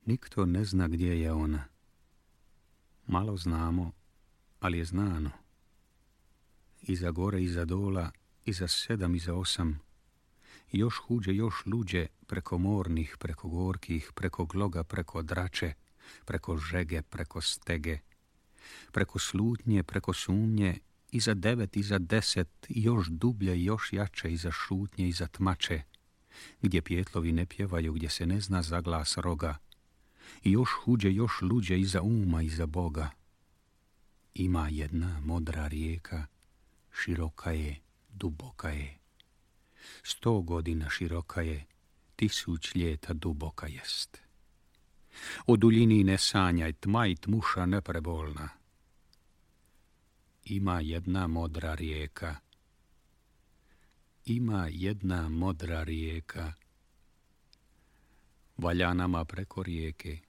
Nikto ne zna gdje je ona. Malo znamo, ali je znano. Iza gore, iza dola, iza 7, iza 8. Još huđe, još luđe, preko mornih, preko gorkih, preko gloga, preko drače, preko žege, preko stege, preko slutnje, preko sumnje, iza 9, iza 10, još dublje, još jače, iza šutnje, iza tmače, gdje pjetlovi ne pjevaju, gdje se ne zna za glas roga, i još huđe, još luđe, iza uma, iza Boga. Ima jedna modra rijeka, široka je, duboka je. 100 godina široka je, 1000 ljeta duboka jest. O duljini ne sanjaj, tma i tmuša neprebolna. Ima jedna modra rijeka. Ima jedna modra rijeka. Valja nama preko rijeke